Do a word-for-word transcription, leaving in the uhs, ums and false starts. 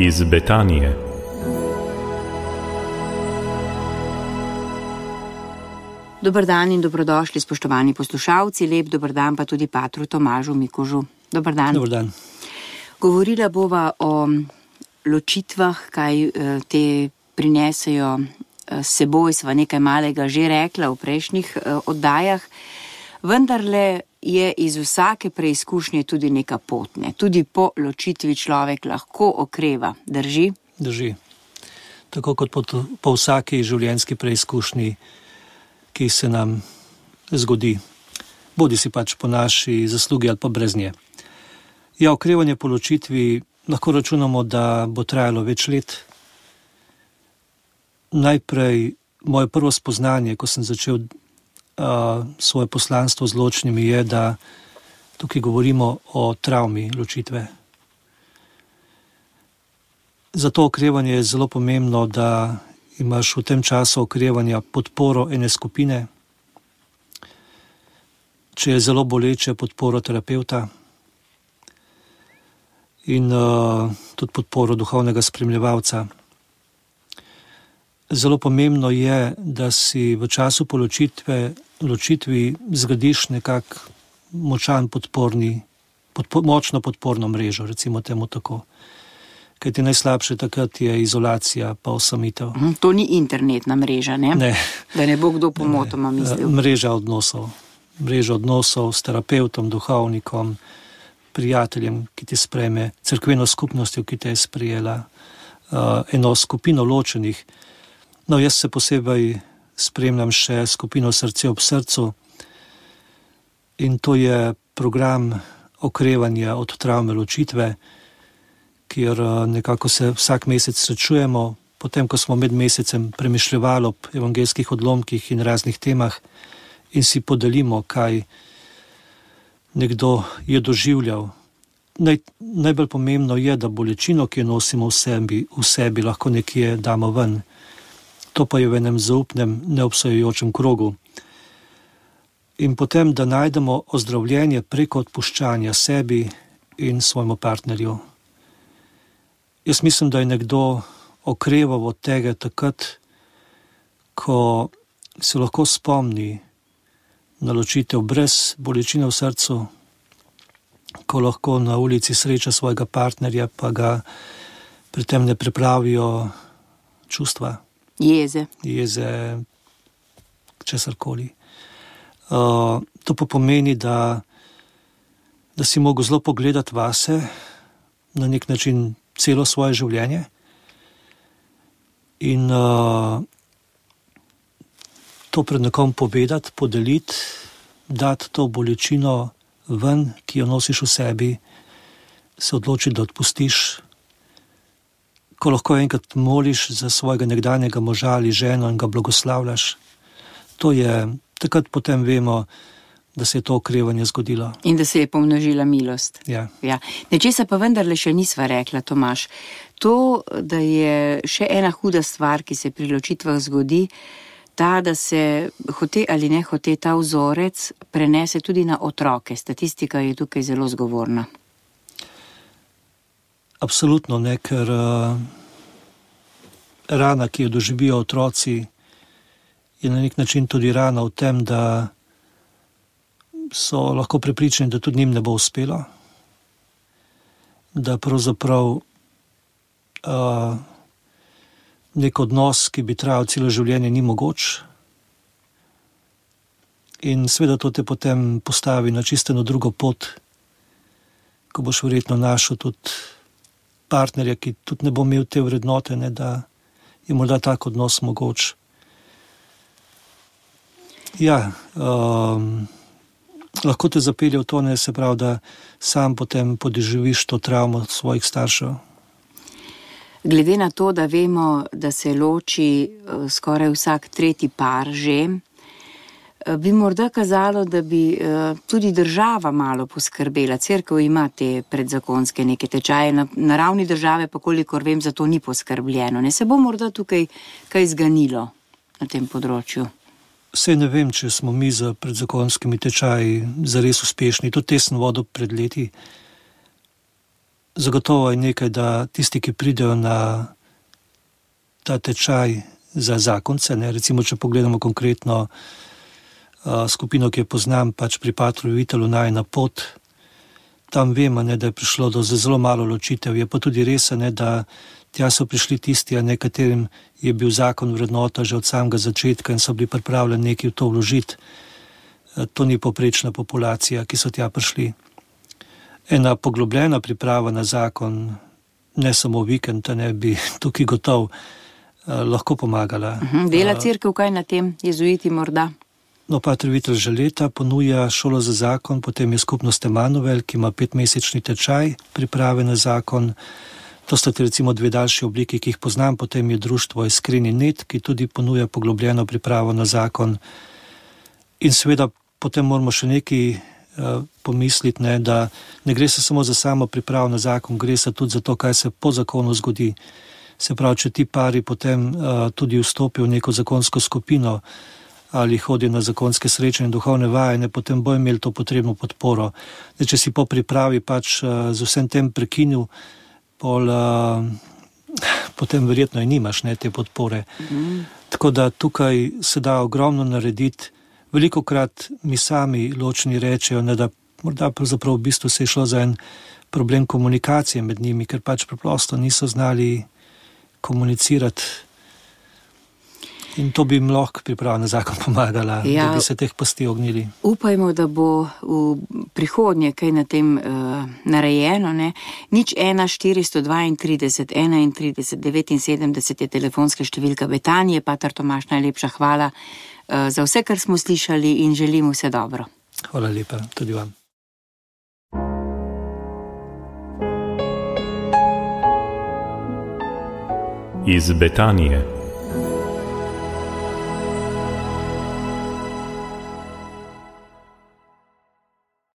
iz Betanije. Dober dan in dobrodošli, spoštovani poslušalci, lep dober dan pa tudi patru Tomažu Mikužu. Dober dan. Dober dan. Govorila bova o ločitvah, kaj te prinesejo s seboj, sva nekaj malega že rekla v prejšnjih oddajah, vendarle je iz vsake preizkušnje tudi neka potne. Tudi po ločitvi človek lahko okreva, drži? Drži. Tako kot po, po vsaki življenjski preizkušnji, ki se nam zgodi, bodi si pač po naši zaslugi ali pa brez nje. Ja, okrevanje po ločitvi lahko računamo, da bo trajalo več let. Najprej moje prvo spoznanje, ko sem začel uh, svoje poslanstvo z ločnimi, je, da tukaj govorimo o travmi ločitve. Zato okrevanje je zelo pomembno, da imaš v tem času okrevanja podporo ene skupine, če je zelo boleče, podporo terapevta in uh, tudi podporo duhovnega spremljevalca. Zelo pomembno je, da si v času po ločitve, ločitvi zgradiš nekak močan podporni, podpo, močno podporno mrežo, recimo temu tako. Kaj ti najslabše takrat je izolacija pa osamitev. To ni internetna mreža, ne? Ne. Da ne bo kdo pomotoma mislil. Mreža odnosov. Mreža odnosov s terapeutom, duhovnikom, prijateljem, ki ti sprejme, cerkveno skupnostjo, ki te je sprejela, eno skupino ločenih. No, jaz se posebej spremljam še skupino Srce ob srcu in to je program okrevanja od travme ločitve, kjer nekako se vsak mesec srečujemo, potem, ko smo med mesecem premišljevali ob evangelskih odlomkih in raznih temah in si podelimo, kaj nekdo je doživljal. Naj, najbolj pomembno je, da bolečino, ki jo nosimo v sebi, v sebi lahko nekje damo ven. To pa je v enem zaupnem, neobsojujočem krogu. In potem, da najdemo ozdravljenje preko odpuščanja sebi in svojemu partnerju. Jaz mislim, da je nekdo okreval od tega takrat, ko se lahko spomni na ločitev brez bolečine v srcu, ko lahko na ulici sreča svojega partnerja, pa ga pri tem ne pripravijo čustva. Jeze. Jeze, česarkoli. Uh, to pa pomeni, da, da si mogel zelo pogledati vase, na nek način celo svoje življenje in uh, to pred nekom povedati, podeliti, dati to bolečino ven, ki jo nosiš v sebi, se odločiti, da odpustiš. Ko lahko enkrat moliš za svojega nekdanjega moža ali ženo in ga blagoslavljaš, to je, takrat potem vemo, da se je to okrevanje zgodilo. In da se je pomnožila milost. Ja. Ja. Nečesa pa vendarle še nisva rekla, Tomaž. To, da je še ena huda stvar, ki se pri ločitvah zgodi, ta, da se hote ali ne hote ta vzorec prenese tudi na otroke. Statistika je tukaj zelo zgovorna. Absolutno ne, ker uh, rana, ki jo doživijo otroci, je na nek način tudi rana v tem, da so lahko prepričani, da tudi njim ne bo uspelo, da pravzaprav uh, nek odnos, ki bi trajal celo življenje, ni mogoč. In seveda to te potem postavi na čisto drugo pot, ko boš verjetno našel tudi partnerja, ki tudi ne bo imel te vrednote, ne, da je morda tak odnos mogoč. Ja, um, lahko te zapelje v to, ne, se pravi, da sam potem podoživiš to travmo svojih staršev. Glede na to, da vemo, da se loči skoraj vsak tretji par že, bi morda kazalo, da bi tudi država malo poskrbela. Cerkev ima te predzakonske neke tečaje, na, na ravni države pa kolikor vem, za to ni poskrbljeno. Ne se bo morda tukaj kaj zganilo na tem področju. Sej ne vem, če smo mi za predzakonskimi tečaji zares uspešni. To te sem vodil pred leti. zagotovo je nekaj, da tisti, ki pridejo na ta tečaj za zakonce, ne, recimo, če pogledamo konkretno uh, skupino, ki jo poznam, pač pri Patru Vitelu Najina pot, tam vemo, ne, da je prišlo do zelo malo ločitev, je pa tudi res, ne, da tja so prišli tisti, a nekaterim je bil zakon vrednota že od samega začetka in so bili pripravljeni nekaj v to vložiti. To ni poprečna populacija, ki so tja prišli. Ena poglobljena priprava na zakon, ne samo vikend, ne bi tukaj gotov lahko pomagala. Uh-huh. Dela cerkev kaj na tem, jezuiti morda? No, Pater Vitel že leta ponuja šolo za zakon, potem je skupnost Emanuel, ki ima petmesečni tečaj priprave na zakon. To sta recimo dve daljši obliki, ki jih poznam, potem je društvo Iskreni net, ki tudi ponuja poglobljeno pripravo na zakon. In seveda potem moramo še nekaj uh, pomisliti, ne, da ne gre se samo za samo pripravo na zakon, gre se tudi za to, kaj se po zakonu zgodi. Se pravi, če ti pari potem uh, tudi vstopijo v neko zakonsko skupino ali hodijo na zakonske srečanje in duhovne vajene, potem bo imeli to potrebno podporo. Zdaj, če si po pripravi pač uh, z vsem tem prekinil, pol, uh, potem verjetno in nimaš, ne, te podpore. Mm. Tako da tukaj se da ogromno narediti. Velikokrat mi sami ločni rečejo, ne, da morda pravzaprav v bistvu se je šlo za en problem komunikacije med njimi, ker pač preprosto niso znali komunicirati. In to bi jim lahko priprava na zakon pomagala, ja, da bi se teh pasti ognili. Upajmo, da bo v prihodnje kaj na tem uh, narejeno. Ne? Nič ena štiristo dvaintrideset enaintrideset devetinsedemdeset je telefonska številka Betanije. Pater Tomaž, najlepša hvala uh, za vse, kar smo slišali in želim vse dobro. Hvala lepa, tudi vam. Iz Betanije.